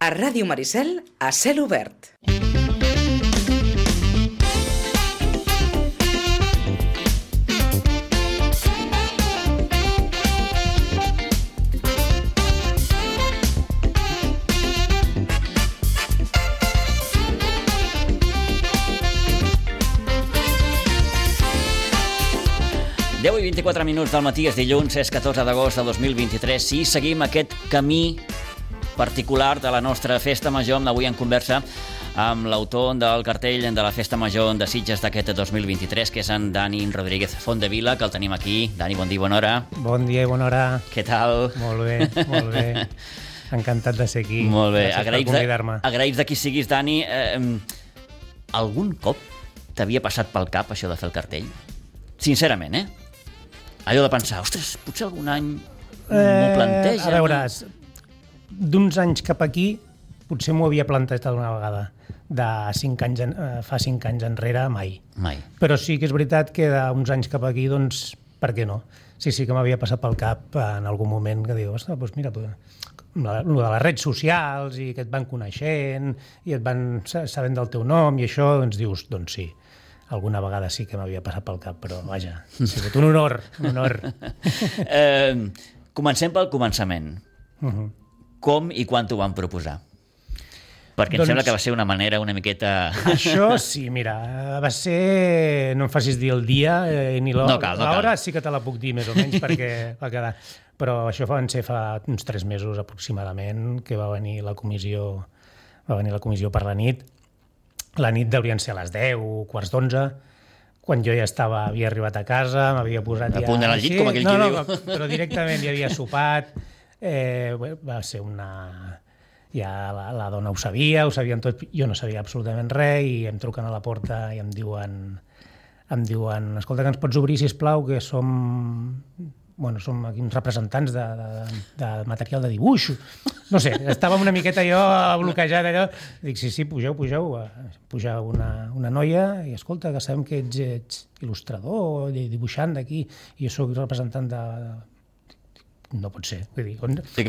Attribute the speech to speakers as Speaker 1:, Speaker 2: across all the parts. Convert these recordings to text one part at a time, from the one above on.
Speaker 1: A Ràdio Maricel, a cel obert.
Speaker 2: Deu i 24 minuts del matí, és dilluns, és 14 d'agost de 2023 i seguim aquest camí particular de la nostra Festa Major, avui en conversa amb l'autor del cartell de la Festa Major de Sitges d'aquest 2023, que és en Dani Rodríguez Fontdevila, que el tenim aquí. Dani, bon dia i bona hora.
Speaker 3: Bon dia i bona hora.
Speaker 2: Què tal?
Speaker 3: Molt bé, molt bé. Encantat de ser aquí.
Speaker 2: Molt bé.
Speaker 3: Gràcies per convidar-me.
Speaker 2: Agraïts de qui siguis, Dani. Algun cop t'havia passat pel cap això de fer el cartell? Sincerament, allò de pensar, ostres, potser algun any m'ho planteja.
Speaker 3: A veure, d'uns anys cap aquí potser m'ho havia plantejat una vegada. Fa 5 anys enrere, mai.
Speaker 2: Mai.
Speaker 3: Però sí que és veritat que d'uns anys cap aquí, doncs, per què no? Sí que m'havia passat pel cap en algun moment que diu, ostres, doncs mira, de les redes socials i que et van coneixent i et van sabent del teu nom i això, doncs dius, doncs sí. Alguna vegada sí que m'havia passat pel cap, però vaja, ha sigut un honor, un honor.
Speaker 2: Comencem pel començament. Com i quan t'ho van proposar? Perquè em sembla que va ser una manera una miqueta...
Speaker 3: Això sí, mira, va ser... No em facis dir el dia ni l'hora.
Speaker 2: No cal.
Speaker 3: L'hora sí que te la puc dir més o menys perquè va quedar... Però això van ser fa uns 3 mesos aproximadament que va venir la comissió per la nit. La nit deurien ser a les 10, quarts d'11, quan jo ja havia arribat a casa, m'havia posat
Speaker 2: a punt d'anar al llit, com aquell qui diu.
Speaker 3: No, però directament ja havia sopat. Va ser una... Ja la dona ho sabien tot, jo no sabia absolutament res i em truquen a la porta i em diuen escolta, que ens pots obrir, sisplau, que som aquí uns representants de material de dibuix. No sé, estava una miqueta jo bloquejat allò. Dic, sí, pugeu. Puja una noia i escolta, que sabem que ets il·lustrador, dibuixant d'aquí, i jo soc representant de... No pot ser. Vull dir,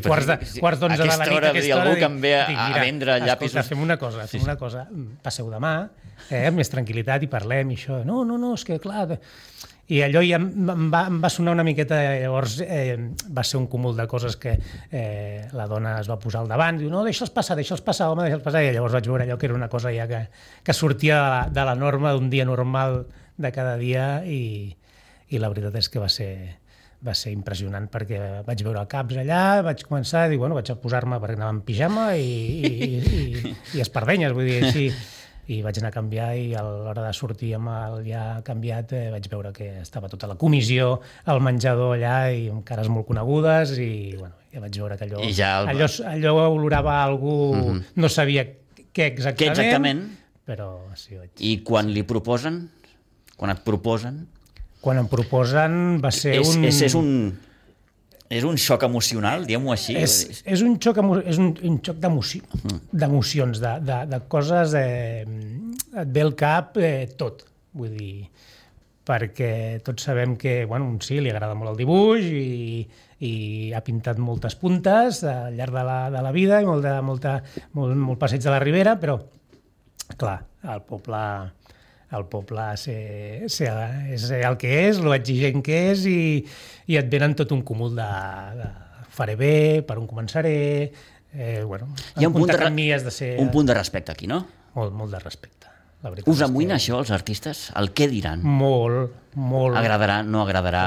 Speaker 3: quarts d'11 de la nit,
Speaker 2: aquesta hora, algú que em ve a vendre llapisos...
Speaker 3: Escolta, fem una cosa, passeu demà, amb més tranquil·litat i parlem i això. No, és que clar... I allò ja em va sonar una miqueta, llavors va ser un cúmul de coses que la dona es va posar al davant, diu, no, deixa'ls passar, home, deixa'ls passar, i llavors vaig veure allò que era una cosa ja que sortia de la norma d'un dia normal de cada dia i la veritat és que va ser impressionant perquè vaig veure caps allà, vaig començar a dir, vaig a posar-me perquè anava en pijama i espardenyes, vull dir, així. I vaig anar a canviar i a l'hora de sortir amb el ja canviat vaig veure que estava tota la comissió al menjador allà i amb cares molt conegudes i ja vaig veure que allò olorava algú, no sabia què exactament, però sí.
Speaker 2: I quan li proposen? Quan et proposen?
Speaker 3: Quan em proposen va ser
Speaker 2: És un xoc emocional, diguem-ho així?
Speaker 3: És un xoc d'emocions, de coses... Et ve al cap tot, vull dir, perquè tots sabem que, sí, li agrada molt el dibuix i ha pintat moltes puntes al llarg de la vida i molt passeig de la Ribera, però, clar, el poble és el que és, lo exigent que és i et venen tot un cúmul de faré bé, per on començaré...
Speaker 2: Hi ha un punt de respecte aquí, no?
Speaker 3: Molt de respecte.
Speaker 2: Us amoïna això, els artistes? El què diran?
Speaker 3: Molt.
Speaker 2: Agradarà, no agradarà?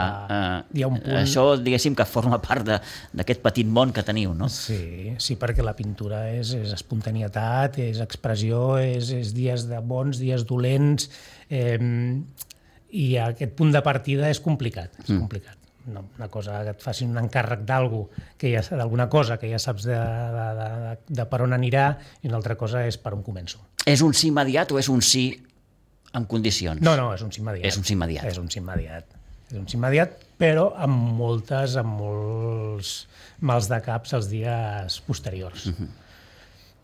Speaker 3: Hi ha un punt...
Speaker 2: Això, diguéssim, que forma part d'aquest petit món que teniu, no?
Speaker 3: Sí, perquè la pintura és espontanietat, és expressió, és dies de bons, dies dolents, i aquest punt de partida és complicat, No, una cosa que et facin un encàrrec d'alguna cosa que ja saps de per on anirà i una altra cosa és per on començo.
Speaker 2: És un sí immediat o és un sí en condicions?
Speaker 3: No, és un sí immediat.
Speaker 2: És un sí immediat.
Speaker 3: És un sí immediat, però amb molts mals de caps els dies posteriors.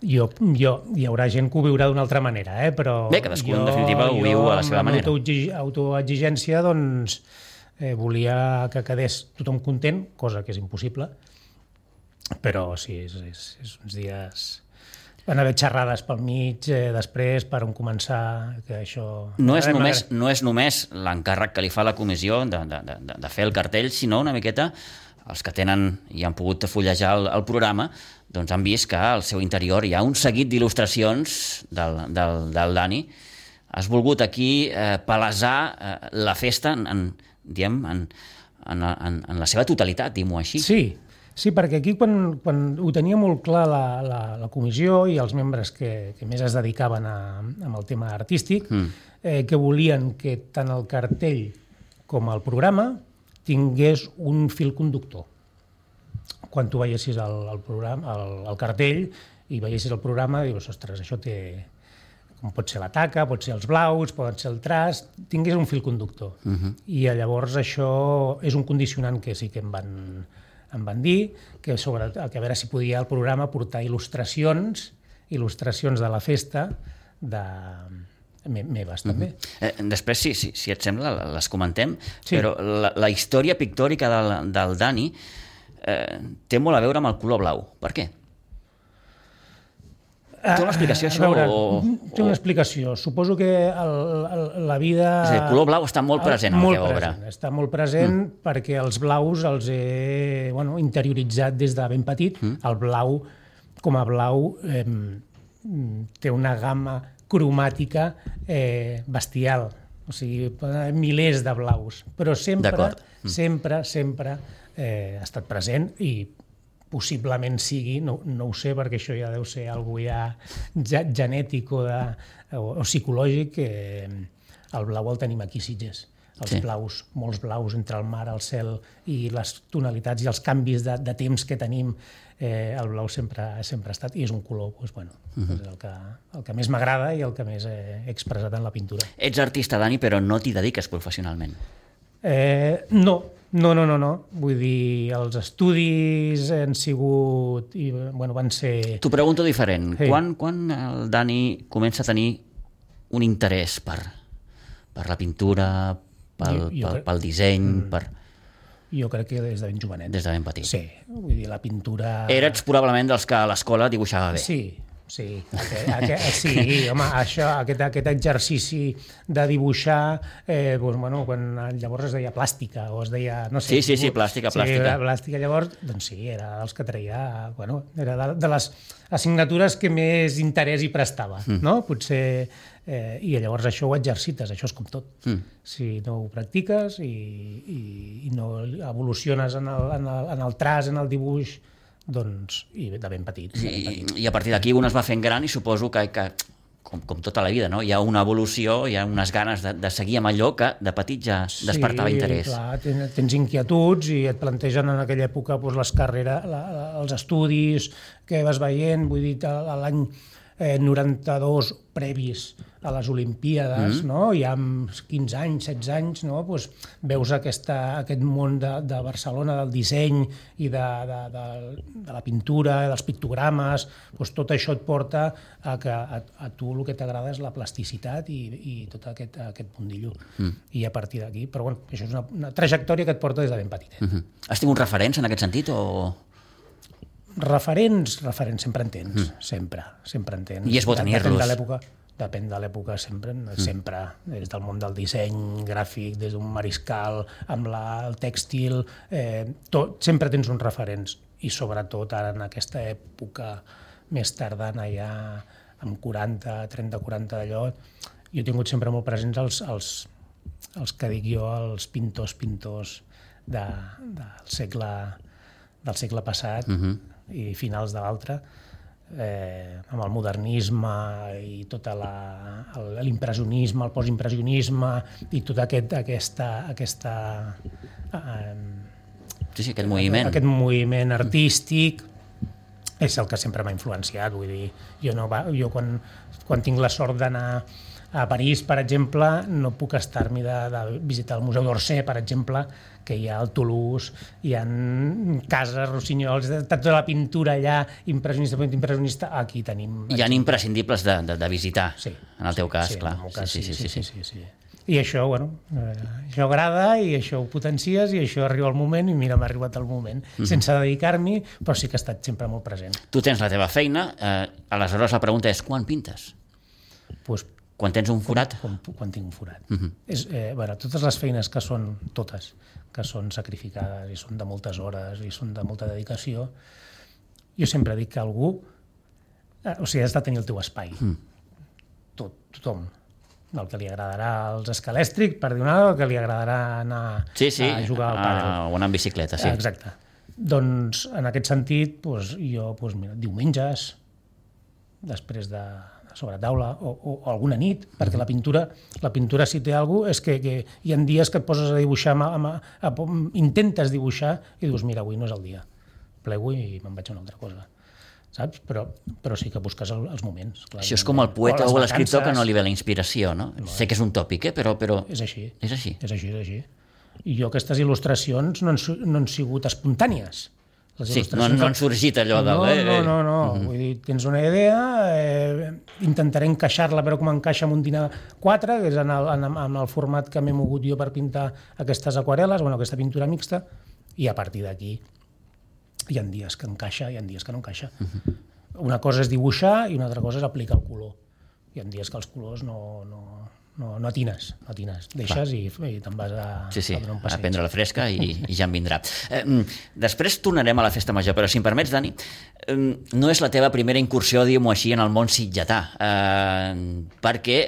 Speaker 3: Jo hi haurà gent que ho viurà d'una altra manera, però...
Speaker 2: Bé, cadascú en definitiva ho viu a la seva manera.
Speaker 3: Amb autoexigència, doncs, volia que quedés tothom content, cosa que és impossible, però sí, és uns dies van haver xerrades pel mig després per on començar, que això...
Speaker 2: No és només l'encàrrec que li fa la comissió de fer el cartell, sinó una miqueta els que tenen i han pogut fullejar el programa, doncs han vist que al seu interior hi ha un seguit d'il·lustracions del Dani. Has volgut aquí palesar la festa en la seva totalitat, diguem-ho així.
Speaker 3: Sí, perquè aquí quan ho tenia molt clar la comissió i els membres que més es dedicaven amb el tema artístic, que volien que tant el cartell com el programa tingués un fil conductor. Quan tu veiessis el cartell i veiessis el programa, dius, ostres, això té... com pot ser la taca, pot ser els blaus, pot ser el traç, tingués un fil conductor. I llavors això és un condicionant que sí que em van dir, que a veure si podia el programa portar il·lustracions de la festa meves, també.
Speaker 2: Després, si et sembla, les comentem, però la història pictòrica del Dani té molt a veure amb el color blau. Per què? Té una explicació, això?
Speaker 3: Té una explicació. Suposo que la vida...
Speaker 2: El color blau està molt present a la teva obra.
Speaker 3: Està molt present perquè els blaus els he interioritzat des de ben petit. El blau, com a blau, té una gamma cromàtica bestial. O sigui, milers de blaus. Però sempre ha estat present i possiblement sigui, no ho sé, perquè això ja deu ser alguna ja genètic o psicològic, que el blau el tenim aquí a Sitges. Els blaus, molts blaus entre el mar, el cel i les tonalitats i els canvis de temps que tenim, el blau sempre ha estat, i és un color és el que més m'agrada i el que més he expressat en la pintura.
Speaker 2: Ets artista, Dani, però no t'hi dediques professionalment.
Speaker 3: No. Vull dir, els estudis han sigut... van ser...
Speaker 2: T'ho pregunto diferent. Quan el Dani comença a tenir un interès per la pintura, pel disseny,
Speaker 3: Jo crec que des de ben jovenet.
Speaker 2: Des de ben petit.
Speaker 3: Sí, vull dir, la pintura...
Speaker 2: Eres probablement dels que a l'escola dibuixava bé.
Speaker 3: Sí, home, aquest exercici de dibuixar, quan llavors es deia plàstica, o es deia...
Speaker 2: Sí, plàstica.
Speaker 3: Plàstica, llavors, doncs sí, era dels que treia... Era de les assignatures que més interès hi prestava, no? Potser... I llavors això ho exercites, això és com tot. Si no ho practiques i no evoluciones en el traç, en el dibuix, doncs, i de ben petit.
Speaker 2: I a partir d'aquí un es va fent gran i suposo que com tota la vida, no? Hi ha una evolució, hi ha unes ganes de seguir amb allò que de petit ja despertava interès.
Speaker 3: Sí, clar, tens inquietuds i et plantegen en aquella època les carreres, els estudis que vas veient, vull dir, l'any 92 previs a les Olimpíades, no? Ja amb 15 anys, 16 anys, no? Pues veus aquest món de Barcelona, del disseny i de la pintura, dels pictogrames, pues tot això et porta a que a tu el que t'agrada és la plasticitat i tot aquest mundillo. I a partir d'aquí, però bueno, això és una trajectòria que et porta des de ben petit.
Speaker 2: Has tingut referents en aquest sentit o...?
Speaker 3: Referents sempre en tens, sempre en tens.
Speaker 2: I és bo tenir-los.
Speaker 3: Depèn de l'època, sempre, des del món del disseny gràfic, des d'un mariscal, amb el tèxtil, sempre tens uns referents, i sobretot ara en aquesta època més tardana, ja amb 30-40 d'allò, jo he tingut sempre molt presents els que dic jo, els pintors del segle passat, i finals de l'altre, amb el modernisme i tot l'impressionisme, el postimpressionisme i tot aquest
Speaker 2: moviment.
Speaker 3: Aquest moviment artístic és el que sempre m'ha influenciat. Vull dir, jo quan tinc la sort d'anar a París, per exemple, no puc estar-m'hi de visitar el Museu d'Orsay, per exemple, que hi ha al Toulouse, hi ha cases, rossinyols, tota la pintura allà, impressionista, aquí tenim...
Speaker 2: Hi ha imprescindibles de visitar,
Speaker 3: sí,
Speaker 2: en el teu cas, clar.
Speaker 3: Sí. I això, això agrada i això ho potencies i això arriba el moment i mira, m'ha arribat el moment. Sense dedicar-m'hi, però sí que ha estat sempre molt present.
Speaker 2: Tu tens la teva feina, aleshores la pregunta és quan pintes?
Speaker 3: Pues,
Speaker 2: quan tens un forat?
Speaker 3: Quan tinc un forat. Totes les feines que són sacrificades i són de moltes hores i són de molta dedicació, jo sempre dic que algú has de tenir el teu espai. Tothom. El que li agradarà als escalèstrics, per dir una cosa, el que li agradarà anar a jugar al pàdel.
Speaker 2: O anar en bicicleta, sí.
Speaker 3: Exacte. Doncs, en aquest sentit, jo, diumenges, després de sobretaula, o alguna nit, perquè la pintura si té alguna cosa, és que hi ha dies que et poses a dibuixar, intentes dibuixar i dius, mira, avui no és el dia. Plego i me'n vaig a una altra cosa. Saps? Però sí que busques els moments. Clar,
Speaker 2: això és com el poeta o l'escriptor que no li ve la inspiració, no? Sé que és un tòpic, però...
Speaker 3: És així.
Speaker 2: És així.
Speaker 3: És així. I jo aquestes il·lustracions no han sigut espontànies.
Speaker 2: Sí, no han sorgit allò de...
Speaker 3: No. Vull dir, tens una idea, intentaré encaixar-la, però com encaixa amb un dinar 4, que és en el format que m'he mogut jo per pintar aquestes aquarel·les, aquesta pintura mixta, i a partir d'aquí hi ha dies que encaixa, hi ha dies que no encaixa. Una cosa és dibuixar i una altra cosa és aplicar el color. Hi ha dies que els colors no atines, deixes i te'n vas a donar un passeig.
Speaker 2: A prendre la fresca i ja en vindrà. Després tornarem a la festa major, però si em permets, Dani, no és la teva primera incursió, diguem-ho així, en el món sitgetà, perquè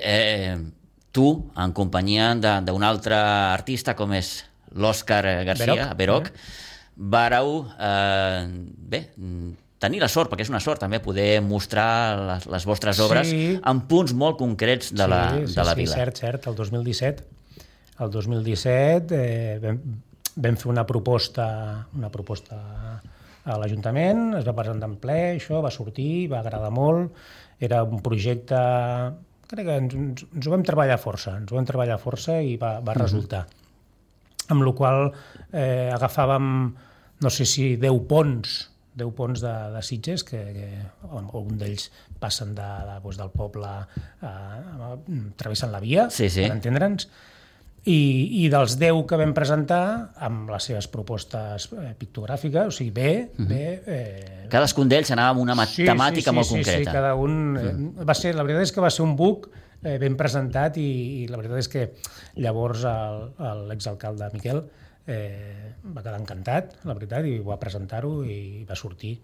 Speaker 2: tu, en companyia d'un altre artista com és l'Òscar García, Veroc, vàreu tenir la sort, perquè és una sort també poder mostrar les vostres obres en punts molt concrets de la vila.
Speaker 3: Sí, cert. El 2017 vam fer una proposta a l'Ajuntament, es va presentar en ple, això va sortir, va agradar molt, era un projecte, crec que ens ho vam treballar força i va resultar. Amb la qual agafàvem, no sé si 10 ponts de Sitges, que algun d'ells passen del poble, travessen la via, per entendre'ns, i dels 10 que vam presentar, amb les seves propostes pictogràfiques, o sigui, bé...
Speaker 2: Cadascun d'ells anava amb una temàtica molt concreta.
Speaker 3: Sí, cada un... La veritat és que va ser un book ben presentat i la veritat és que llavors l'exalcalde Miquel va quedar encantat, la veritat, i va presentar-ho i va sortir.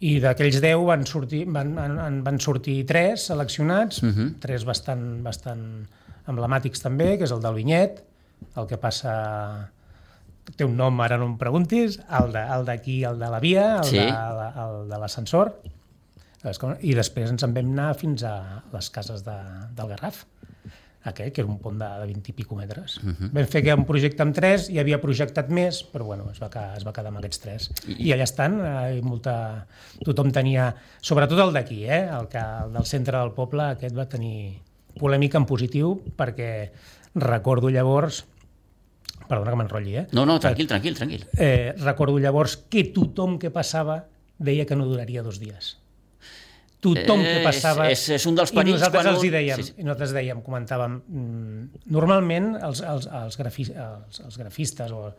Speaker 3: I d'aquells 10 van sortir 3 seleccionats, 3 bastant emblemàtics també, que és el del vinyet, el que passa... Té un nom, ara no em preguntis, el d'aquí, el de la via, el de l'ascensor, i després ens en vam anar fins a les cases del Garraf, que era un pont de 20 i pico metres. Vam fer un projecte amb 3, hi havia projectat més, però es va quedar amb aquests 3. I allà estan, tothom tenia, sobretot el d'aquí, el del centre del poble, aquest va tenir polèmica en positiu, perquè recordo llavors, perdona que m'enrotlli,
Speaker 2: No, tranquil.
Speaker 3: Recordo llavors que tothom que passava deia que no duraria 2 dies. Tothom que passava...
Speaker 2: És un dels perills...
Speaker 3: I nosaltres dèiem, comentàvem, normalment els grafistes o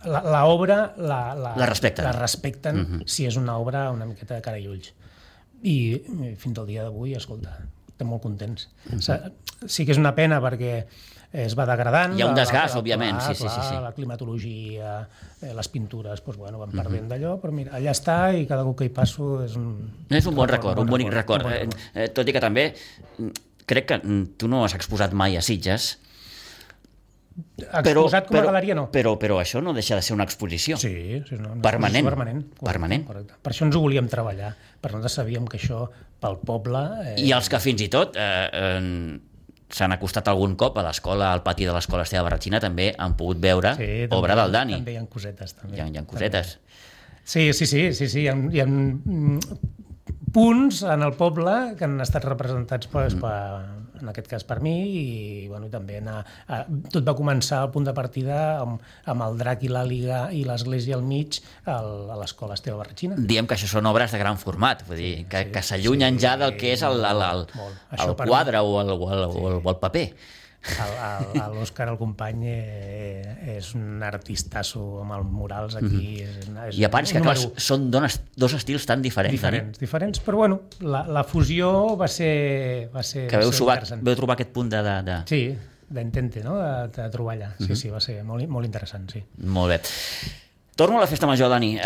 Speaker 3: l'obra la respecten si és una obra una miqueta de cara i ulls. I fins al dia d'avui, escolta, estem molt contents. Sí que és una pena perquè es va degradant.
Speaker 2: Hi ha un desgast, òbviament. Sí.
Speaker 3: La climatologia, les pintures, van perdent d'allò, però mira, allà està i cada cop que hi passo és un...
Speaker 2: És un bon record, un bonic record. Tot i que també crec que tu no has exposat mai a Sitges.
Speaker 3: Exposat com a galeria, no.
Speaker 2: Però això no deixa de ser una exposició.
Speaker 3: Sí.
Speaker 2: Permanent.
Speaker 3: Correcte. Per això ens ho volíem treballar. Per nosaltres sabíem que això pel poble...
Speaker 2: I els que fins i tot s'han acostat algun cop a l'escola, al pati de l'escola Esteve Barratxina, també han pogut veure obra del Dani.
Speaker 3: També hi ha cosetes.
Speaker 2: Hi ha cosetes.
Speaker 3: Sí. Hi ha punts en el poble que han estat representats en aquest cas per mi, i bueno, també tot va començar al punt de partida amb el drac i l'àliga i l'església al mig a l'escola Esteve Barretxina.
Speaker 2: Diem que això són obres de gran format, vull dir, que s'allunyen ja del que és el quadre o el paper.
Speaker 3: L'Òscar, el company, és un artistasso amb els murals aquí.
Speaker 2: I a part que, clar, són dos estils tan diferents.
Speaker 3: Diferents, però bueno, la fusió va ser
Speaker 2: que veu trobar aquest punt de...
Speaker 3: Sí, d'intente, no?, de trobar allà. Sí, va ser molt interessant, sí.
Speaker 2: Molt bé. Torno a la festa major, Dani.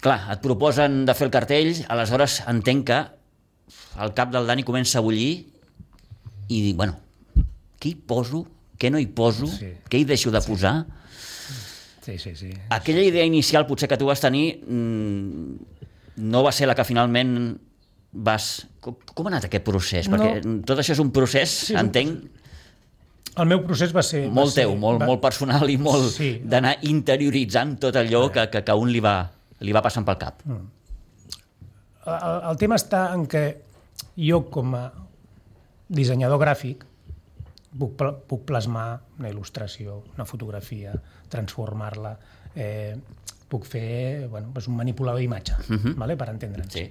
Speaker 2: Clar, et proposen de fer el cartell, aleshores entenc que el cap del Dani comença a bullir i dic, bueno, què hi poso, què no hi poso, què hi deixo de posar?
Speaker 3: Sí.
Speaker 2: Aquella idea inicial potser que tu vas tenir no va ser la que finalment vas... Com ha anat aquest procés? Perquè tot això és un procés, entenc...
Speaker 3: El meu procés va ser...
Speaker 2: Molt teu, molt personal i molt d'anar interioritzant tot allò que a un li va passant pel cap.
Speaker 3: El tema està en què jo, com a dissenyador gràfic, puc plasmar una il·lustració, una fotografia, transformar-la, puc fer un manipulador d'imatge, per entendre'ns.
Speaker 2: Sí.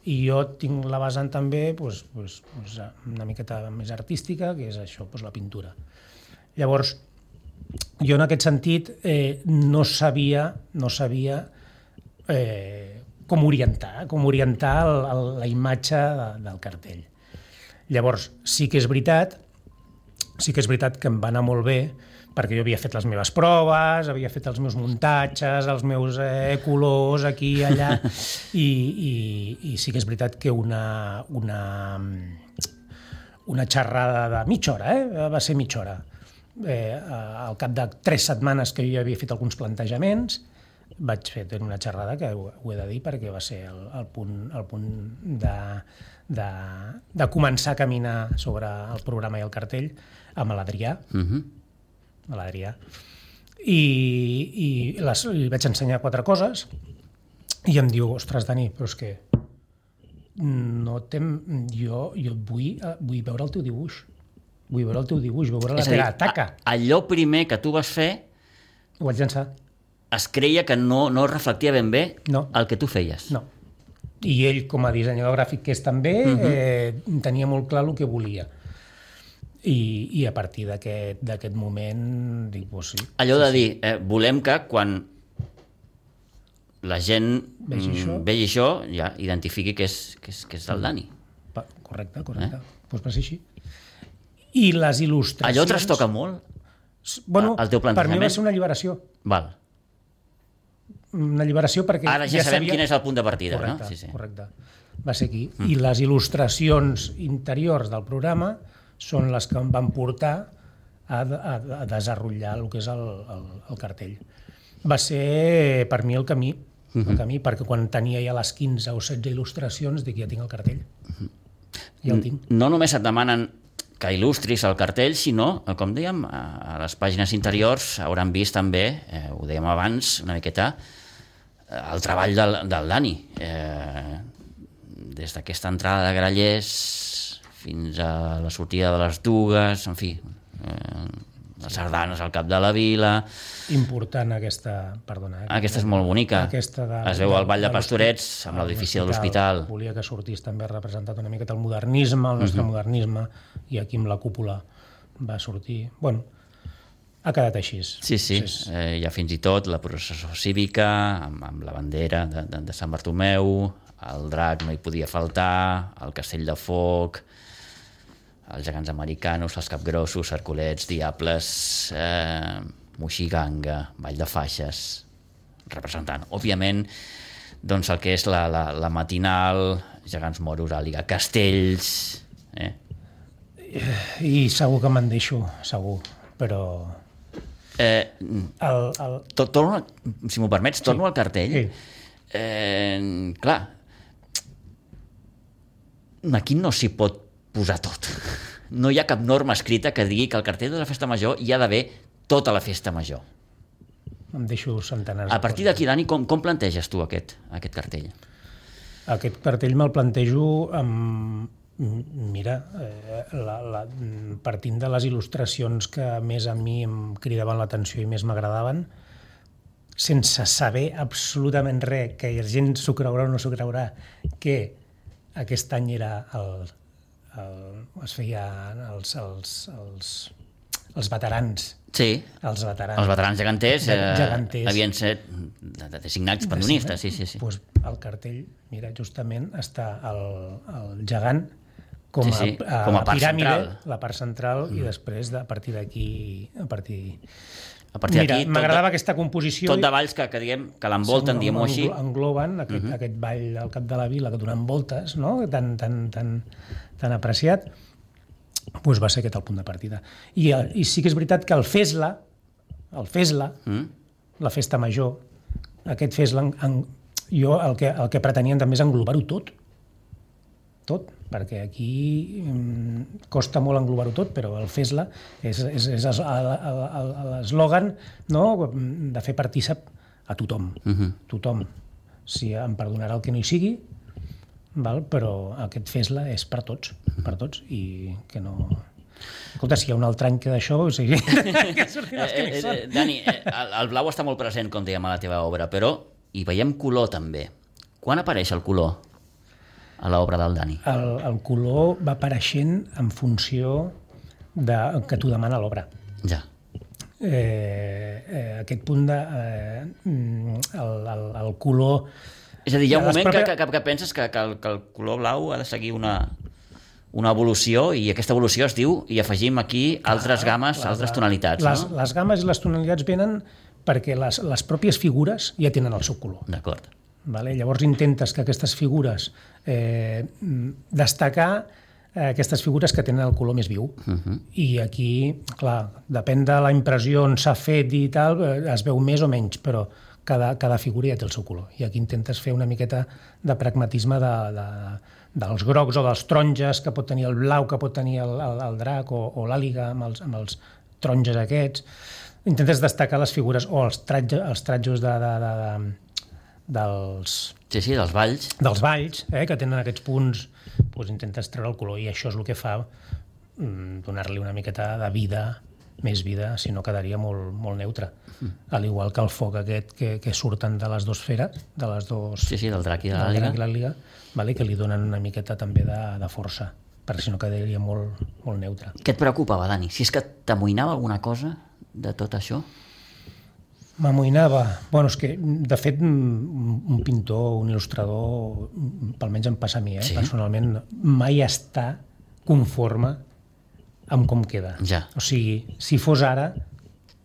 Speaker 3: I jo tinc la vessant també una miqueta més artística, que és això, la pintura. Llavors, jo en aquest sentit no sabia com orientar la imatge del cartell. Llavors, sí que és veritat que em va anar molt bé, perquè jo havia fet les meves proves, havia fet els meus muntatges, els meus colors aquí i allà, i sí que és veritat que una xerrada de mitja hora, va ser mitja hora. Al cap de 3 setmanes que jo ja havia fet alguns plantejaments, vaig fer una xerrada que ho he de dir perquè va ser el punt de començar a caminar sobre el programa i el cartell amb l'Adrià. I li vaig ensenyar 4 coses i em diu, ostres, Dani, però és que jo vull veure el teu dibuix. Vull veure la teva taca.
Speaker 2: Allò primer que tu vas fer...
Speaker 3: Ho vaig llançar.
Speaker 2: Es creia que no reflectia ben bé el que tu feies.
Speaker 3: No. I ell, com a dissenyador gràfic que és també, tenia molt clar el que volia. I a partir d'aquest moment dic, sí.
Speaker 2: Allò de dir, volem que quan la gent vegi això ja identifiqui que és del Dani.
Speaker 3: Correcte. Doncs va ser així. I les il·lustracions...
Speaker 2: Allò trastoca molt el teu plantejament?
Speaker 3: Per mi va ser una alliberació.
Speaker 2: Val.
Speaker 3: Una alliberació perquè...
Speaker 2: Ara ja sabem quin és el punt de partida,
Speaker 3: correcte,
Speaker 2: no? Sí.
Speaker 3: Correcte. Va ser aquí. I les il·lustracions interiors del programa són les que em van portar a desenrotllar el que és el cartell. Va ser, per mi, el camí, perquè quan tenia ja les 15 o 16 il·lustracions, dic, ja tinc el cartell. Ja el tinc.
Speaker 2: No només et demanen que il·lustris el cartell, sinó, com dèiem, a les pàgines interiors hauran vist també, ho dèiem abans, una miqueta, el treball del Dani. Des d'aquesta entrada de grallers fins a la sortida de les dugues, en fi, les sardanes al cap de la vila...
Speaker 3: Important aquesta, perdona.
Speaker 2: Aquesta és molt bonica. Es veu el Ball de Pastorets amb l'edifici de l'hospital.
Speaker 3: Volia que sortís també representat una miqueta el modernisme, el nostre modernisme, i aquí amb la cúpula va sortir... Bueno, ha quedat així.
Speaker 2: Sí. Hi ha fins i tot la processó cívica, amb la bandera de Sant Bartomeu, el drac no hi podia faltar, el castell de foc, els gegants americanos, els capgrossos, Herculets, Diables, Moixiganga, Vall de Faixes, representant, òbviament, doncs el que és la matinal, gegants moros, àliga, castells...
Speaker 3: I segur que me'n deixo, segur, però...
Speaker 2: Si m'ho permets, torno al cartell. Clar, aquí no s'hi pot posar tot. No hi ha cap norma escrita que digui que el cartell de la festa major hi ha d'haver tota la festa major.
Speaker 3: Em deixo centenars de coses.
Speaker 2: A partir d'aquí, Dani, com planteges tu aquest cartell?
Speaker 3: Aquest cartell me'l plantejo Mira, partint de les il·lustracions que més a mi em cridaven l'atenció i més m'agradaven, sense saber absolutament res, que la gent s'ho creurà o no s'ho creurà, que aquest any era es feia els veterans.
Speaker 2: Sí,
Speaker 3: Els
Speaker 2: veterans geganters,
Speaker 3: geganters.
Speaker 2: Havien set designats pandonistes, sí.
Speaker 3: Pues al cartell, mira, justament està el gegant com a
Speaker 2: part
Speaker 3: piràmide,
Speaker 2: central.
Speaker 3: la part central, i després, a partir d'aquí...
Speaker 2: Mira,
Speaker 3: m'agradava aquesta composició.
Speaker 2: Tot de valls que diguem, que l'envolten, diguem-ho així.
Speaker 3: Engloben aquest ball al cap de la vila que donen voltes, no? tan apreciat. Doncs va ser aquest el punt de partida. I sí que és veritat que el Fesla, la festa major, aquest Fesla, jo el que pretenien també és englobar-ho tot, perquè aquí costa molt englobar-ho tot, però el Fesla és l'eslògan, no?, de fer partícip a tothom. Tothom. Si em perdonarà el que no hi sigui, però aquest Fesla és per tots, i que no... Escolta, si hi ha un altre any que d'això, o sigui, que sortirà els que no hi són.
Speaker 2: Dani, el blau està molt present, com dèiem, a la teva obra, però hi veiem color també. Quan apareix el color a l'obra del Dani?
Speaker 3: El color va apareixent en funció que t'ho demana l'obra.
Speaker 2: Ja.
Speaker 3: Aquest punt el color...
Speaker 2: És a dir, hi ha un moment que penses que el color blau ha de seguir una evolució, i aquesta evolució es diu, i afegim aquí altres games, altres tonalitats.
Speaker 3: Les games i les tonalitats venen perquè les pròpies figures ja tenen el seu color.
Speaker 2: D'acord.
Speaker 3: Llavors intentes que aquestes figures destacar aquestes figures que tenen el color més viu. I aquí, clar, depèn de la impressió on s'ha fet i tal, es veu més o menys, però cada figura ja té el seu color. I aquí intentes fer una miqueta de pragmatisme dels grocs o dels taronges que pot tenir el blau, que pot tenir el drac o l'àliga amb els taronges aquests. Intentes destacar les figures o els tratjos dels...
Speaker 2: Sí, dels valls.
Speaker 3: Dels valls, que tenen aquests punts, doncs intentes treure el color, i això és el que fa donar-li una miqueta de vida, més vida, si no quedaria molt, molt neutre. Al igual que el foc aquest que surten de les dues feres, de les dos...
Speaker 2: Sí, del drac i de l'àliga.
Speaker 3: Que li donen una miqueta també de força, perquè si no quedaria molt, molt neutre.
Speaker 2: Què et preocupava, Dani? Si és que t'amoïnava alguna cosa de tot això?
Speaker 3: M'amoïnava. És que, de fet, un pintor, un il·lustrador, almenys em passa a mi, personalment, mai està conforme amb com queda.
Speaker 2: Ja.
Speaker 3: O sigui, si fos ara,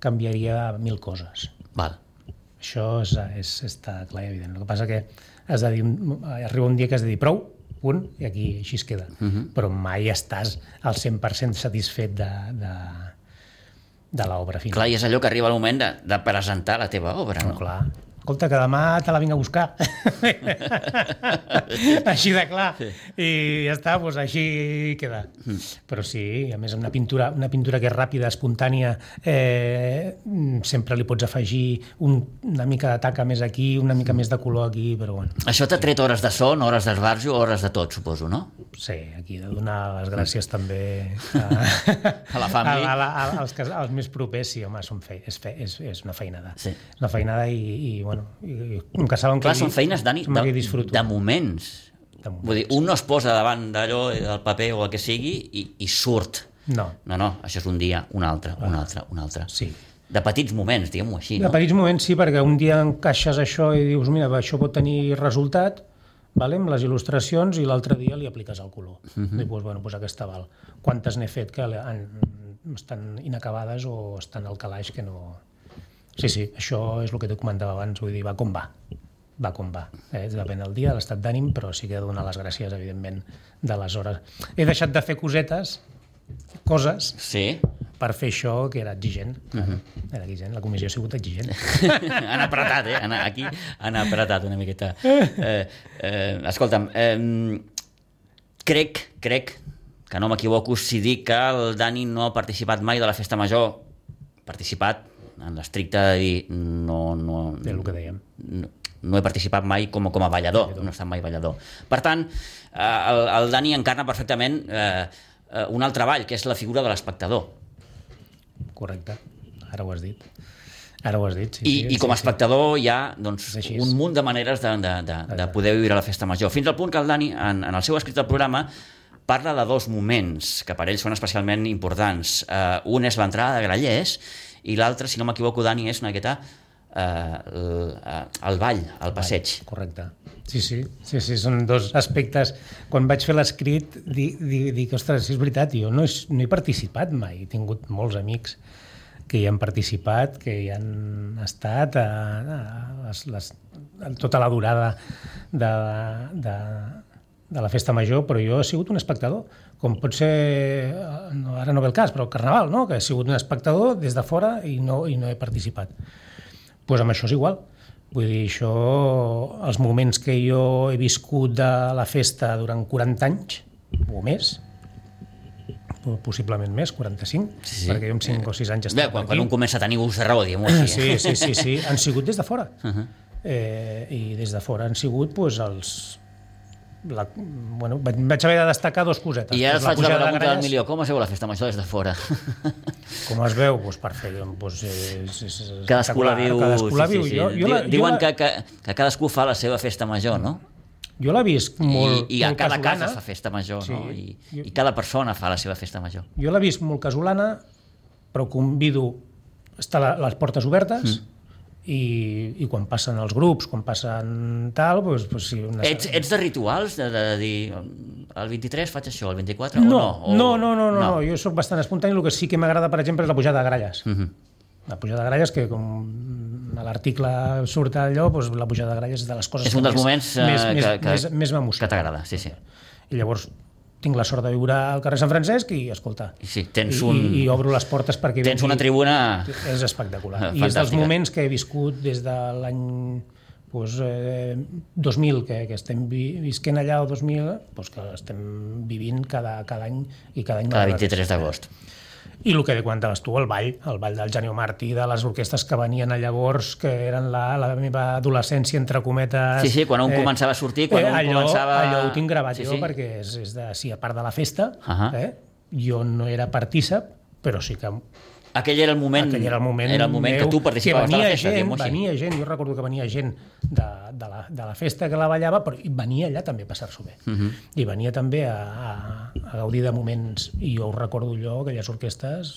Speaker 3: canviaria 1000 coses.
Speaker 2: Val.
Speaker 3: Això està clar i evident. El que passa que arriba un dia que has de dir prou, punt, i aquí així es queda. Però mai estàs al 100% satisfet de l'obra final.
Speaker 2: Clar, i és allò que arriba el moment de presentar la teva obra, no?
Speaker 3: Clar. Escolta, que demà te la vinc a buscar. Així de clar. I ja està, doncs així queda. Però sí, a més, una pintura que és ràpida, espontània, sempre li pots afegir una mica de taca més aquí, una mica més de color aquí, però bueno.
Speaker 2: Això t'ha tret hores de son, hores d'esbarjo, hores de tot, suposo, no?
Speaker 3: Sí, aquí he de donar les gràcies també
Speaker 2: a la família.
Speaker 3: Als més propers, sí, home, és una feinada.
Speaker 2: Sí.
Speaker 3: És una feinada i bueno, com que saben
Speaker 2: clar, són feines, Dani, de moments. Vull dir, un no es posa davant d'allò, del paper o el que sigui, i surt.
Speaker 3: No,
Speaker 2: això és un dia, un altre.
Speaker 3: Sí.
Speaker 2: De petits moments, diguem-ho així, no?
Speaker 3: De petits moments, sí, perquè un dia encaixes això i dius, mira, això pot tenir resultat, amb les il·lustracions, i l'altre dia li apliques el color. I doncs aquesta val. Quantes n'he fet que estan inacabades o estan al calaix que no... Sí, això és el que t'he comentava abans, vull dir, va com va. Depèn del dia, de l'estat d'ànim, però sí que he de donar les gràcies, evidentment, de les hores. He deixat de fer coses,
Speaker 2: sí,
Speaker 3: per fer això, que era exigent. Era exigent, la comissió ha sigut exigent.
Speaker 2: Han apretat, aquí han apretat una miqueta. Escolta'm, crec que no m'equivoco si dic que el Dani no ha participat mai de la festa major. Participat en l'estricte de dir no...
Speaker 3: És el que dèiem.
Speaker 2: no he participat mai com a ballador, no he estat mai ballador. Per tant, el Dani encarna perfectament un altre ball, que és la figura de l'espectador.
Speaker 3: Correcte, ara ho has dit. Ara ho has dit,
Speaker 2: I com a espectador hi ha un munt de maneres de poder viure la festa major. Fins al punt que el Dani, en el seu escrit del programa, parla de dos moments que per ell són especialment importants. Un és l'entrada de Grallers i l'altre, si no m'equivoco, Dani, és una miqueta el ball, el passeig.
Speaker 3: Correcte. Sí, són dos aspectes. Quan vaig fer l'escrit, dic, ostres, és veritat, jo no he participat mai. He tingut molts amics que hi han participat, que hi han estat tota la durada de la festa major, però jo he sigut un espectador, com pot ser, ara no ve el cas, però el Carnaval, no? Que he sigut un espectador des de fora i no he participat. Doncs amb això és igual. Vull dir, això, els moments que jo he viscut de la festa durant 40 anys, o més, possiblement més, 45, perquè jo amb 5 o 6 anys estava
Speaker 2: aquí. Quan un comença a tenir ús de raó, diguem-ho així.
Speaker 3: Sí, han sigut des de fora. I des de fora han sigut els... vaig haver de destacar dos cosetes.
Speaker 2: I ara faig la pregunta del milió, com es veu la festa major des de fora?
Speaker 3: Com es veu? Perfecte.
Speaker 2: Cadascú la viu. Diuen
Speaker 3: que
Speaker 2: cadascú fa la seva festa major, no?
Speaker 3: Jo l'he vist molt
Speaker 2: I a cada casa fa festa major, no? I cada persona fa la seva festa major.
Speaker 3: Jo l'he vist molt casolana, però convido a estar les portes obertes i quan passen els grups, quan passen tal... sí,
Speaker 2: Ets de rituals? De dir, el 23 faig això, el 24
Speaker 3: No, jo soc bastant espontani. El que sí que m'agrada, per exemple, és la pujada de gralles. La pujada de gralles, que com a l'article surt allò, la pujada de gralles és de les coses
Speaker 2: és un dels moments
Speaker 3: més m'emociona.
Speaker 2: Que t'agrada, sí.
Speaker 3: I llavors tinc la sort de viure al carrer Sant Francesc i, escolta, i obro les portes perquè...
Speaker 2: Tens una tribuna...
Speaker 3: És espectacular. I és dels moments que he viscut des de l'any 2000, que estem visquent allà, o 2000, que estem vivint cada any i cada any...
Speaker 2: Cada 23 d'agost.
Speaker 3: I el que comentaves tu, el ball del Janio Martí, de les orquestres que venien llavors, que eren la meva adolescència, entre cometes...
Speaker 2: Sí, quan un començava a sortir,
Speaker 3: allò ho tinc gravat jo, perquè és de, sí, a part de la festa, jo no era partícip, però sí que...
Speaker 2: Aquell era el moment que tu participaves de la festa.
Speaker 3: Venia gent, jo recordo que venia gent de la festa que la ballava, però venia allà també a passar-s'ho bé. I venia també a gaudir de moments, i jo ho recordo allò, aquelles orquestes,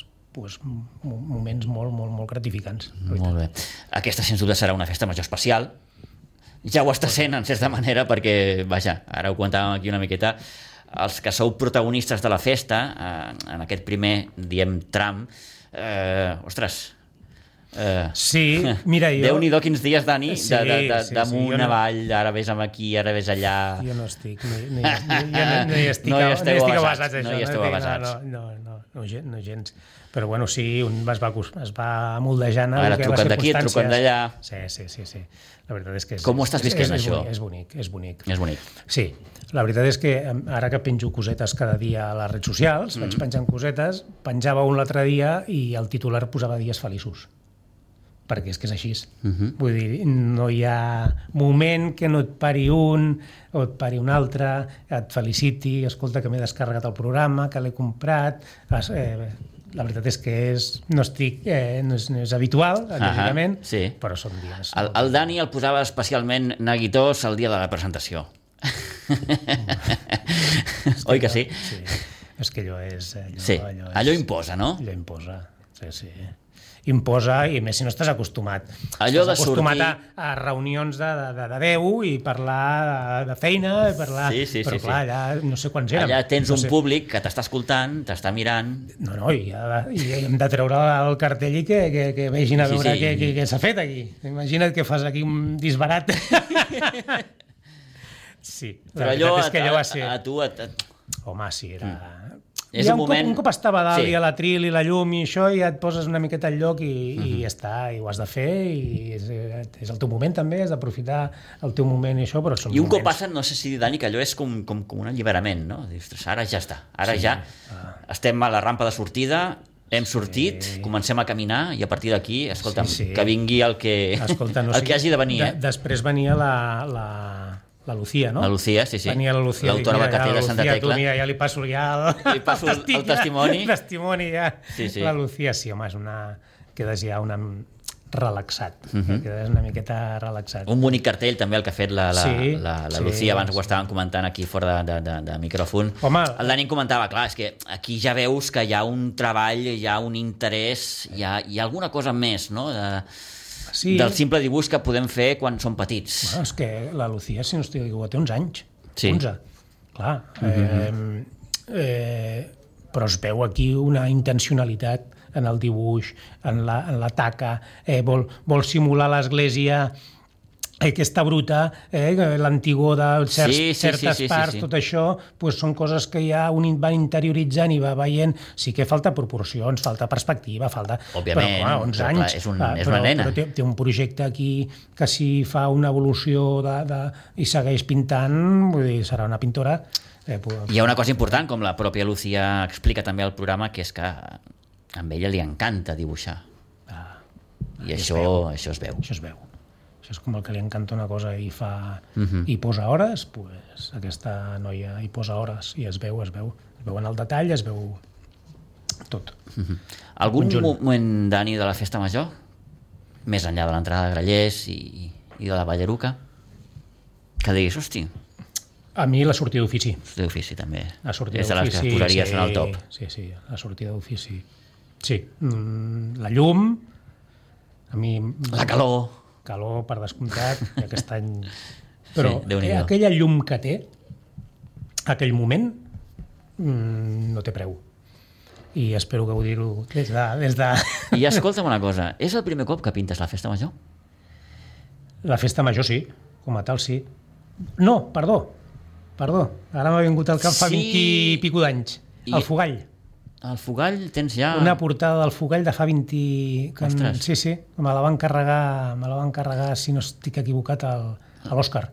Speaker 3: moments molt, molt, molt gratificants.
Speaker 2: Molt bé. Aquesta, sens dubte, serà una festa major especial. Ja ho està sent, en certa manera, perquè, vaja, ara ho comentàvem aquí una miqueta, els que sou protagonistes de la festa, en aquest primer, diem, tram, ostres,
Speaker 3: sí, mira, jo...
Speaker 2: Déu-n'hi-do quins dies, Dani, damunt avall, ara ves aquí, ara ves allà...
Speaker 3: Jo no estic, no hi estic avasats,
Speaker 2: no hi esteu avasats.
Speaker 3: No gens. Però bueno, sí, un es va moldejant...
Speaker 2: Ara truquen d'aquí, truquen d'allà...
Speaker 3: Sí. La veritat és que...
Speaker 2: Com ho estàs visquent, això?
Speaker 3: És bonic. Sí, la veritat és que ara que penjo cosetes cada dia a les redes socials, vaig penjant cosetes, penjava un l'altre dia i el titular posava dies feliços. Perquè és que és així. Vull dir, no hi ha moment que no et pari un o et pari un altre, et feliciti, escolta que m'he descarregat el programa, que l'he comprat... La veritat és que no és habitual, evidentment, però són dies.
Speaker 2: El Dani el posava especialment neguitós el dia de la presentació. Oi que sí?
Speaker 3: Sí, és que allò és...
Speaker 2: Allò imposa, no?
Speaker 3: Allò imposa, sí. Imposa, i més si no estàs acostumat.
Speaker 2: Allò de
Speaker 3: sortir... a reunions de 10 i parlar de feina, però clar, allà no sé quants érem.
Speaker 2: Allà tens un públic que t'està escoltant, t'està mirant...
Speaker 3: No, i hem de treure el cartell i que vegin a veure què s'ha fet aquí. Imagina't que fas aquí un disbarat. Sí,
Speaker 2: però allò a tu...
Speaker 3: Home, sí, era...
Speaker 2: Un
Speaker 3: cop estava dalt i a l'atril i la llum i això, i ja et poses una miqueta al lloc i ja està, i ho has de fer, i és el teu moment també, has d'aprofitar el teu moment i això, però són moments.
Speaker 2: I un cop passen, no sé si, Dani, que allò és com un alliberament, no? Dius, ara ja està, ara ja estem a la rampa de sortida, Hem sortit, comencem a caminar i a partir d'aquí, escolta'm,
Speaker 3: Sí.
Speaker 2: que vingui el que,
Speaker 3: Escolta,
Speaker 2: el que hagi de venir.
Speaker 3: Després venia la Lucía, no?
Speaker 2: La Lucía, sí.
Speaker 3: Venia la Lucía.
Speaker 2: L'autora
Speaker 3: Dic, mira,
Speaker 2: Bacatell de
Speaker 3: ja,
Speaker 2: Santa
Speaker 3: Lucía,
Speaker 2: Tecla.
Speaker 3: Tu, mira, ja li passo ja
Speaker 2: Li passo el testimoni.
Speaker 3: El testimoni ja.
Speaker 2: Sí.
Speaker 3: La Lucía, sí, home, quedes ja relaxat. Quedes una miqueta relaxat.
Speaker 2: Un bonic cartell també el que ha fet la
Speaker 3: Sí,
Speaker 2: Lucía, abans ho
Speaker 3: sí.
Speaker 2: estàvem comentant aquí fora de micròfon.
Speaker 3: Home,
Speaker 2: El Dani comentava, clar, és que aquí ja veus que hi ha un treball, hi ha un interès, hi ha alguna cosa més, no?,
Speaker 3: sí.
Speaker 2: del simple dibuix que podem fer quan som petits.
Speaker 3: Bueno, és que la Lucía, si no estic equivocat, té uns anys.
Speaker 2: Sí.
Speaker 3: 11. Clar. Però es veu aquí una intencionalitat en el dibuix, en la taca, vol simular l'església aquesta bruta, l'antigor de certes parts, tot això, pues, són coses que ja un va interioritzant i va veient. Sí que falta proporcions, falta perspectiva,
Speaker 2: Òbviament,
Speaker 3: però 11
Speaker 2: però,
Speaker 3: anys.
Speaker 2: clar, és una nena.
Speaker 3: Però té un projecte aquí que si fa una evolució i segueix pintant, vull dir, serà una pintora.
Speaker 2: Hi ha una cosa important, com la pròpia Lucía explica també al programa, que és que a ella li encanta dibuixar. I això es veu.
Speaker 3: Això es veu. Això és com el que li encanta una cosa i fa i posa hores, pues, aquesta noia hi posa hores i es veu en el detall, es veu tot.
Speaker 2: Algun moment, Dani, de la festa major, més enllà de l'entrada de Grallers i de la Balleruca, que diguis, hosti,
Speaker 3: a mi la sortida d'ofici.
Speaker 2: d'ofici també.
Speaker 3: La sortida
Speaker 2: És de les que posaries en el top.
Speaker 3: Sí, la sortida d'ofici. Sí, la llum, a mi...
Speaker 2: La calor.
Speaker 3: Calor, per descomptat, i aquest any... Però
Speaker 2: Déu-n'hi-do.
Speaker 3: aquella llum que té, aquell moment, no té preu. I espero que ho dir-ho des de...
Speaker 2: I escolta'm una cosa, és el primer cop que pintes la festa major?
Speaker 3: La festa major sí, com a tal sí. No, perdó, ara m'ha vingut al cap fa 20 i pico d'anys. El Fogall.
Speaker 2: El Fogall tens ja...
Speaker 3: Una portada del Fogall de fa 20...
Speaker 2: Ostres.
Speaker 3: Sí, me la van carregar, si no estic equivocat, a l'Òscar.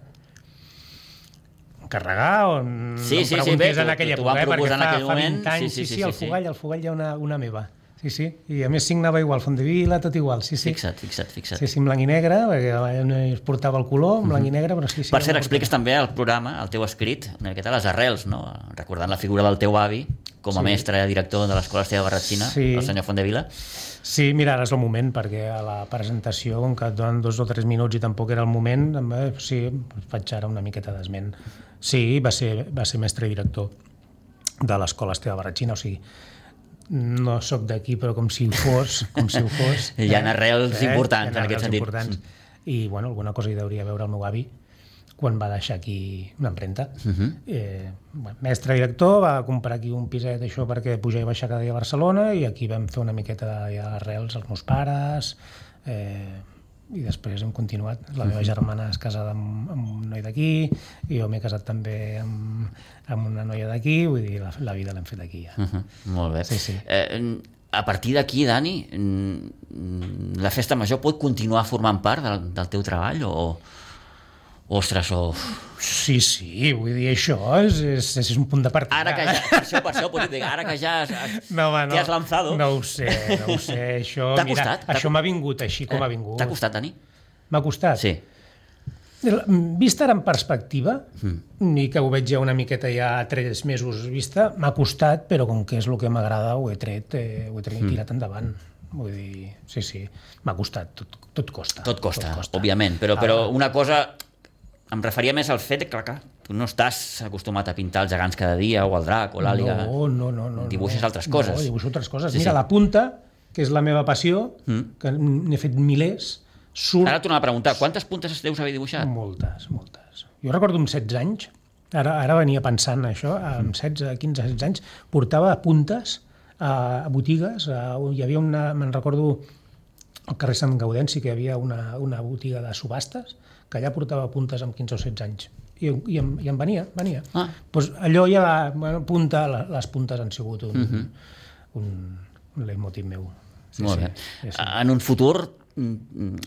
Speaker 3: Carregar o no
Speaker 2: Sí,
Speaker 3: em preguntis en aquella
Speaker 2: t'ho van
Speaker 3: època,
Speaker 2: proposar en
Speaker 3: perquè
Speaker 2: aquell
Speaker 3: fa
Speaker 2: moment.
Speaker 3: 20 anys, sí, el Fogall hi ha una meva. Sí, i a més signava igual, Fondevila, tot igual, sí.
Speaker 2: Fixa't.
Speaker 3: Sí, en blanc i negre, perquè no es portava el color, en blanc i negre, però sí.
Speaker 2: Per cert, expliques també al programa, al teu escrit, una miqueta les arrels, no? Recordant la figura del teu avi, com a mestre i director de l'Escola Esteve Barratxina, el senyor Fondevila.
Speaker 3: Sí, mira, ara és el moment, perquè a la presentació, com que et donen 2 o 3 minuts i tampoc era el moment, sí, faig ara una miqueta d'esment. Sí, va ser mestre i director de l'Escola Esteve Barratxina, o sigui, no sóc d'aquí, però com si ho fos.
Speaker 2: Hi ha arrels importants en aquest sentit.
Speaker 3: Importants. I, bueno, alguna cosa hi hauria a veure el meu avi quan va deixar aquí una empremta. Mestre director, va comprar aquí un piset això perquè pujar i baixar cada dia a Barcelona i aquí vam fer una miqueta d'arrels als meus pares i després hem continuat. La meva germana és casada amb un noi d'aquí i jo m'he casat també amb una noia d'aquí, vull dir, la vida l'hem fet aquí ja.
Speaker 2: Molt bé.
Speaker 3: Sí.
Speaker 2: A partir d'aquí, Dani, la festa major pot continuar formant part del teu treball o... Ostres,
Speaker 3: Sí, vull dir, això és un punt de partida.
Speaker 2: Ara que ja, per això dir, ara que ja t'hi has lanzado.
Speaker 3: No ho sé, això...
Speaker 2: T'ha costat?
Speaker 3: Això m'ha vingut així com ha vingut.
Speaker 2: T'ha costat, Dani?
Speaker 3: M'ha costat?
Speaker 2: Sí.
Speaker 3: Vist ara en perspectiva, i que ho veig ja una miqueta ja 3 mesos vista, m'ha costat, però com que és el que m'agrada ho he tret i tirat endavant. Vull dir, sí, m'ha costat, tot costa.
Speaker 2: Tot costa, òbviament, però una cosa... Em referia més al fet que, clar, tu no estàs acostumat a pintar els gegants cada dia, o el drac, o l'àliga.
Speaker 3: No.
Speaker 2: Dibuixes altres coses.
Speaker 3: No, dibuixo altres coses. Mira, la punta, que és la meva passió, que n'he fet milers, surt...
Speaker 2: Ara tornava a preguntar, quantes puntes deus haver dibuixat?
Speaker 3: Moltes. Jo recordo amb 16 anys, ara venia pensant això, amb 16, 15, 16 anys, portava puntes a botigues, hi havia me'n recordo al carrer Sant Gaudenci, que hi havia una botiga de subhastes, que allà portava puntes amb 15 o 16 anys. I em venia. Pues allò ja va... Les puntes han sigut un leitmotiv meu.
Speaker 2: Molt bé. En un futur,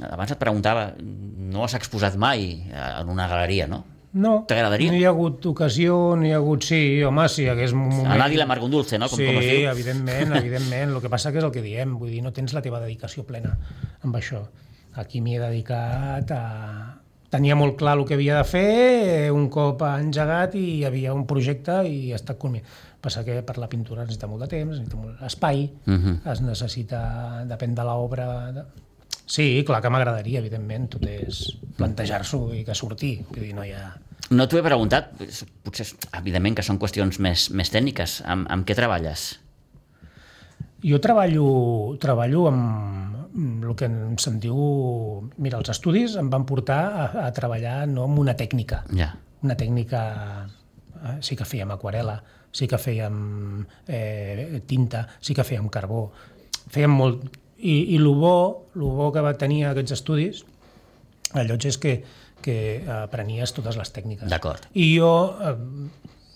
Speaker 2: abans et preguntava, no has exposat mai en una galeria, no?
Speaker 3: No,
Speaker 2: t'agradaria?
Speaker 3: no hi ha hagut ocasió, no hi ha hagut... Sí, home, sí, hagués un moment...
Speaker 2: A nadie le amarga un dulce, no? Com
Speaker 3: sí,
Speaker 2: es diu.
Speaker 3: evidentment. El que passa que és el que diem, vull dir, no tens la teva dedicació plena amb això. Aquí m'hi he dedicat a... Tenia molt clar el que havia de fer, un cop engegat i hi havia un projecte i ha estat culminat. Passa que per la pintura necessita molt de temps, necessita molt espai, es necessita, depèn de l'obra... Sí, clar que m'agradaria, evidentment, tot és plantejar-s'ho i que surti, vull dir, no hi ha...
Speaker 2: No t'ho he preguntat, potser, evidentment que són qüestions més tècniques. Amb què treballes?
Speaker 3: Jo treballo amb el que se'n diu... Mira, els estudis em van portar a treballar no amb una tècnica.
Speaker 2: Ja.
Speaker 3: Una tècnica... Sí que fèiem aquarel·la, sí que fèiem tinta, sí que fèiem carbó. Fèiem molt... I el bo que va tenir aquests estudis, allò és que aprenies totes les tècniques.
Speaker 2: D'acord.
Speaker 3: I jo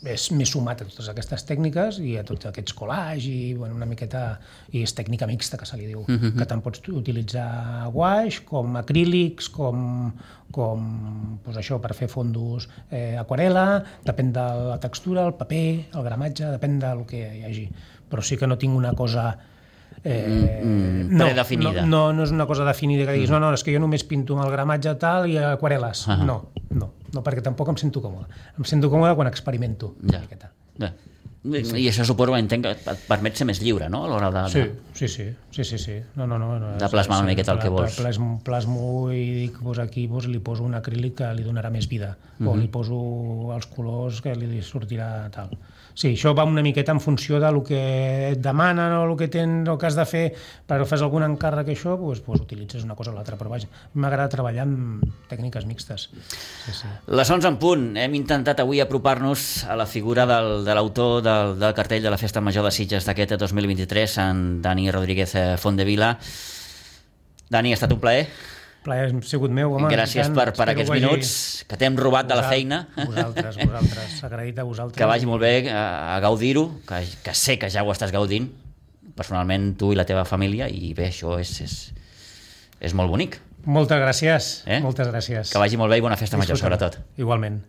Speaker 3: m'he sumat a totes aquestes tècniques i a tots aquests collages i bueno, una miqueta... I és tècnica mixta, que se li diu, que tant pots utilitzar guaix, com acrílics, com doncs això, per fer fondos aquarel·la, depèn de la textura, el paper, el gramatge, depèn del que hi hagi. Però sí que no tinc una cosa...
Speaker 2: predefinida.
Speaker 3: No és una cosa definida que diguis, no, és que jo només pinto amb el gramatge tal i aquarel·les. No, perquè tampoc em sento còmode. Em sento còmode quan experimento una miqueta.
Speaker 2: I això suposo, entenc, que et permet ser més lliure, no?, a l'hora de...
Speaker 3: Sí. No.
Speaker 2: De plasmar una miqueta el que vols.
Speaker 3: Plasmo i dic, aquí li poso un acrílic que li donarà més vida, o li poso els colors que li sortirà tal. Sí, això va una miqueta en funció del que et demanen o el que has de fer, però fas algun encàrrec això, doncs utilitzes una cosa o l'altra, però vaja, m'agrada treballar amb tècniques mixtes. Sí.
Speaker 2: Les 11 en punt. Hem intentat avui apropar-nos a la figura de l'autor del cartell de la Festa Major de Sitges d'aquest 2023, en Dani Rodríguez Fontdevila. Dani, ha estat un plaer.
Speaker 3: Plaer ha sigut meu, home.
Speaker 2: Gràcies per aquests minuts que t'hem robat de la feina.
Speaker 3: Vosaltres, agraït a vosaltres.
Speaker 2: Que vagi molt bé a gaudir-ho, que sé que ja ho estàs gaudint, personalment tu i la teva família, i bé, això és molt bonic.
Speaker 3: Moltes gràcies. Moltes gràcies.
Speaker 2: Que vagi molt bé i bona festa major, sobretot.
Speaker 3: Igualment.